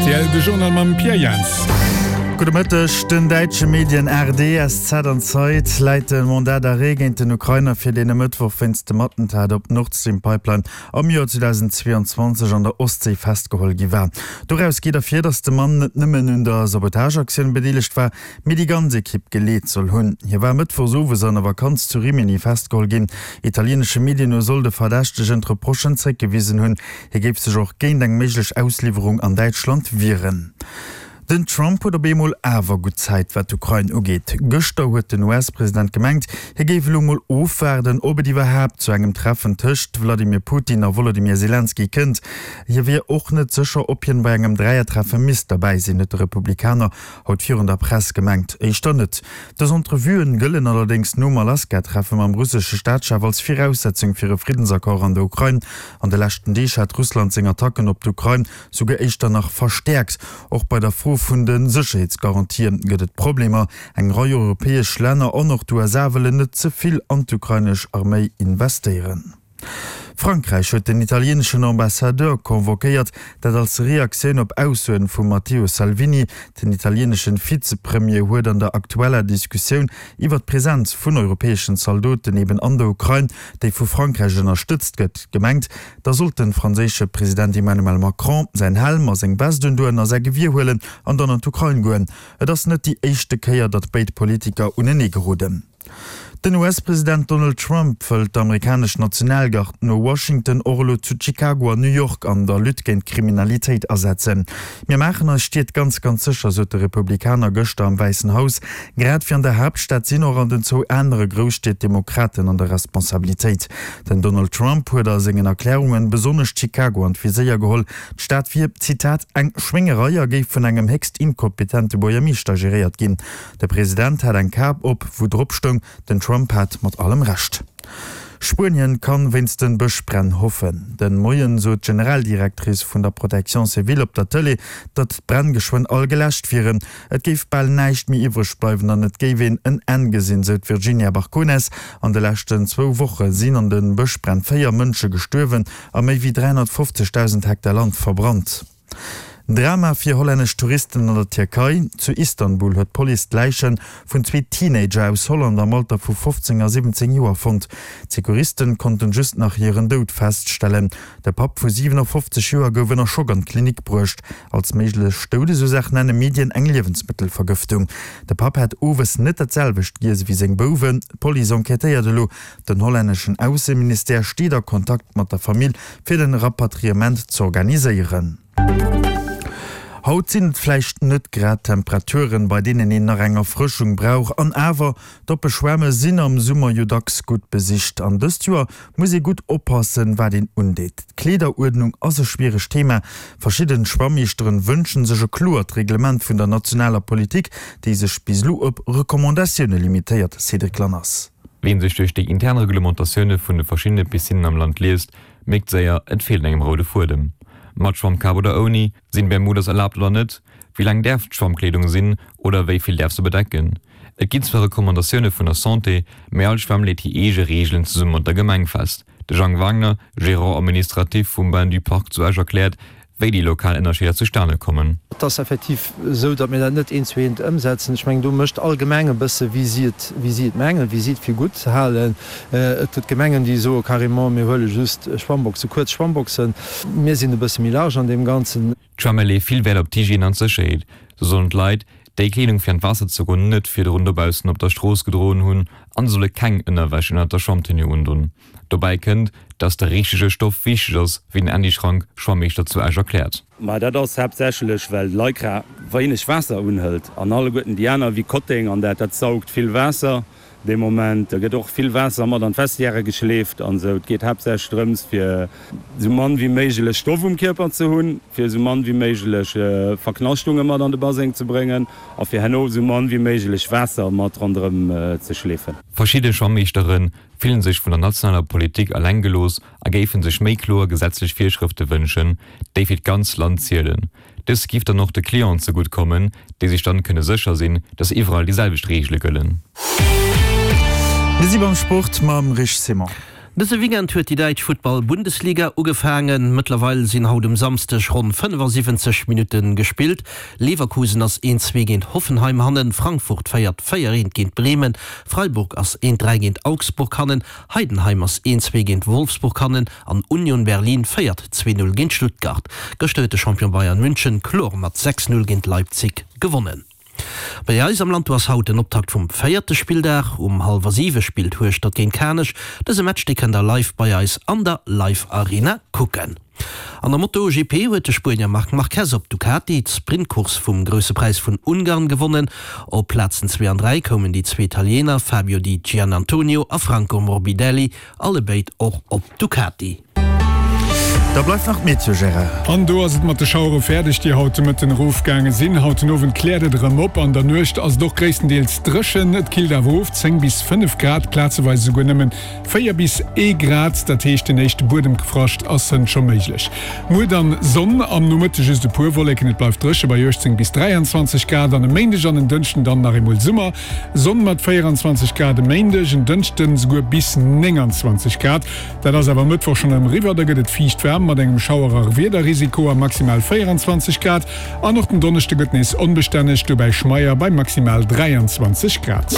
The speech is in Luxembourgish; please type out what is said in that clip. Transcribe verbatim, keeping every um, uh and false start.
R T L, de Journal mam Pierre Jans. Gudde Mëtteg. Den däitsche Medien A R D, S Z an Zeit läit de Mandat d'arrêt géint den Ukrainer fir, deen e Mëttwoch wéinst dem Attentat op d'Nord-Stream-Pipeline am Joer zweedausendzweeanzwanzeg an der Ostséi festgeholl gi war. Doraus geet ervir, datt de Mann net nëmmen un der Sabotageaktioun bedeelegt war, mee déi ganz Ekipp geleet soll hunn. Hie war mëttwochs owes an der Vakanz zu Rimini festgeholl ginn. Italienesche Medien no soll de Verdächtegen d'Reprochen zréckgewisen hunn. Hie géif sech och géint eng méiglech Ausliwwerung an Däitschland wieren. Den Trump huet op eemol awer gutt Zäit, wat d'Ukrain ugeet. Gëschter huet den U S-President gemengt, hie géif elo mol ofwaarden, ob et iwwerhaapt zu engem Treffen tëscht Wladimir Putin a Wolodymyr Selenskyj kënnt. Hie wier och net sécher, ob hien bei engem Dräiertreffe misst derbäi sinn, huet de Republikaner haut virun der Press gemengt. Éischter net. Dës Entrevuen gëllen allerdéngs nom Alaska-Treffe mam russesche Staatschef als Viraussetzung fir e Friddensaccord an der Ukrain. An de leschten Deeg hat Russland seng Attacken op d'Ukrain souguer éischter nach verstäerkt. Och bei der Fro vun de Sécherheetsgarantië gëtt et Problemer. Eng Rei europäesch Länner an och d'U S A wëllen net ze vill an d'ukrainesch Arméi investéieren. Frankräich huet den italieneschen Ambassadeur convoquéiert, dat als Reaktioun op Aussoen vum Matteo Salvini. Den italieneschen Vizepremier huet an der aktueller Diskussioun iwwer d'Presenz vun europäeschen Zaldoten eben an der Ukrain, déi vu Frankräich ënnerstëtzt gëtt, gemengt, da sollt de franséische President Emmanuel Macron säin Helm a seng Vest undoen a säi Gewier huelen an dann an d'Ukrain goen. Et ass net déi éischte Kéier, datt béid Politiker unenee geroden. Den U S-President Donald Trump wëllt d'amerikanesch Nationalgard no Washington och elo zu Chicago an New York an der Lutte géint d'Kriminalitéit asetzen. Mir maachen eis Stied ganz, ganz sécher, sot de Republikaner gëschter am Wäissen Haus. Grad wéi an der Haaptstad sinn och an den zwou anere Grousstied Demokraten an der Responsabilitéit. Den Donald Trump huet a sengen Erklärungen besonnesch Chicago an d'Viséier geholl. D'Stad wier, Zitat, eng Schwéngerei a géif vun engem héchst inkompetente Buergermeeschter geréiert ginn. De President hat eng Kap op, wou drop stoung, Den Trump hat mat allem Recht. Spuenien kann wéinst den Bëschbränn hoffen. De Moien sot d'Generaldirectrice vun der Protection civile op der Tëlee, datt d'Bränn geschwënn all geläscht wieren. Et géif bal näischt méi iwwreg bleiwen an et géif een en Enn gesinn, sou d'Virginia Barcones. An de leschten zwou Woche sinn an de Bëschbränn véier Mënsche gestuerwen a méi wéi dräihonnertfofzegdausend Hektar Land verbrannt. Drama fir hollännesch Touristen an der Tierkei. Zu Istanbul huet d'Police d'Läiche vun zwee Teenager aus Holland am Alter vu fofzéng a siwwenzéng Joer fonnt. D'Secouristen konnten just nach hiren Doud feststellen. De Papp vu siwenafofzeg Joer gouf ënner Schock an d'Klinik bruecht. Als méiglech Doudesursaach nenne Medien eng Liewensmëttelvergëftung. De Papp hätt owes net dat selwecht giess ewéi seng Bouwen. D'Police enquêtéiert elo. Den hollänneschen Ausseministère steet a Kontakt mat der Famill, fir den Rapatriement z'organiséieren. Haut sinn et vläicht net grad Temperaturen, bei deenen een nach eng Erfrëschung brauch, an awer, d'oppe Schwämme sinn am Summer jo dacks gutt besicht. An dëst Joer muss ee gutt oppassen, wat een undeet. D'Kleederuerdnung ass e schwieregt Thema. Verschidden Schwammeeschteren wënschen sech e kloert Reglement vun der nationaler Politik, déi sech bis elo op Recommandatioune limitéiert. Cédric Lanners. Wien sech duerch déi intern Reglementatioune vun de verschiddene Piscinnen am Land liest, mierkt séier, et feelt engem roude Fuedem. Mat Schwammkap oder ouni, sinn Bermudas erlaabt oder net, wéi laang däerf d'Schwammkleedung sinn oder wéi vill däerf se bedecken? Et ginn zwar Recommandatioune vun der Santé, mee all Schwämm leet hir eege Reegelen zesumme mat der Gemeng fest. De Jang Wagner, Gérant administratif vum Bain du Parc zu Esch erkläert, wéi déi lokal Ënnerscheeder zustane kommen. Et ass effektiv esou, datt mir dat net eent zu eent ëmsetzen. Ech mengen, do mécht all Gemeng e bësse wéi si et, wéi si et mengen, wéi si et fir gutt halen. Et gëtt Gemengen, déi soe carrément, mir huele just Schwammboxen, kuerz Schwammboxen. Mir sinn e bësse méi large an deem Ganzen. D'Schwämme leeë vill Wäert op d'Hygiène an d'Sécherheet. Sou sollen d'Leit déi Kleedung fir an d'Waasser ze goen net virdrun dobaussen op der Strooss gedroen hunn an se solle keng Ënnerwäsch ënnert der Schwammtenue undonn. Dobäi kënnt, dass de richtege Stoff wichteg ass, wéi den Andy Schrank, Schwammeeschter zu Esch erkläert. Ma dat ass haaptsächlech, well Lycra wéineg Waasser unhëlt an alleguerten déi aner wéi Kotteng an dat, dat saugt vill Waasser dee Moment. Da gëtt och vill Waasser mat an d'Vestiaire geschleeft an esou. Et geet haaptsächlech drëms, fir esou mann wéi méiglech Stoff um Kierper ze hunn, fir esou mann wéi méiglech Verknaschtunge mat an de Baseng ze bréngen a fir herno esou mann wéi méiglech Waasser mat ronderëm ze schleefen. Verschidde Schwammeeschtere fillen sech vun der nationaler Politik eleng gelooss a géife sech méi kloer gesetzlech Virschrëfte wënschen, déi fir d'ganz Land zielen. Dës giff dann och de Clienten zegutt kommen, déi sech dann kënne sécher sinn, dass iwwerall déi selwecht Reegele gëllen. Mir si beim Sport mam Rich Simon. Dëse Weekend huet déi däitsch Futtball-Bundesliga ugefaangen. Mëttlerweil sinn haut um Samsdeg ronn fënnefasiwwenzeg Minutte gespillt. Leverkusen ass een zwee géint Hoffenheim hannen, Frankfurt féiert véier eent géint Bremen, Freiburg ass eent dräi géint Augsburg hannen, Heidenheim ass een zwee géint Wolfsburg hannen an Union Berlin féiert zwee null géint Stuttgart. Gëschter huet de Champion Bayern München kloer mat sechs null géint Leipzig gewonnen. Bei eis am Land do ass haut den Optakt vum véierte Spilldag. Um hallwer siwe spillt Hueschtert géint Kanech. Dëse Match dee kënnt der live bei eis an der Live Arena kucken. An der MotoGP huet de Spuenier Marc Marquez op Ducati d'Sprintcourse vum Grousse Präis vun Ungarn gewonnen. Op Plazen zwee an dräi koumen déi zwee Italiener Fabio Di Giannantonio a Franco Morbidelli, allebéid och op Ducati. Da bleift nach d'Meteo, Gérard. An do ass et mat de Schauere fäerdeg, déi haut de Mëtten erofgaange sinn. Haut den Owend kläert et erëm op, an der Nuecht ass et och gréisstendeels dréchen. Et killt awer of, zéng bis fënnef Grad, plazeweis esouguer nëmmen véier bis ee Grad. Dat heescht, den éischte Buedemfrascht ass hënt scho méiglech. Muer dann Sonn, am Nomëtte just e puer Wolleken, et bleift dréche bei uechtzéng bis dräianzwanzeg Grad. An e Méindeg an en Dënschden dann nach eemol Summer, Sonn mat véieranzwanzeg Grad e Méindeg, en Dënschden esouguer bis nénganzwanzeg Grad. Dat ass awer e Mëttwoch schonn erëm eriwwer, da gëtt et fiicht waarm mat engem Schauer a Wiederrisiko a maximal véieranzwanzeg Grad. An och den Donneschde gëtt nees onbestänneg, dobäi schmeier bei maximal dräianzwanzeg Grad.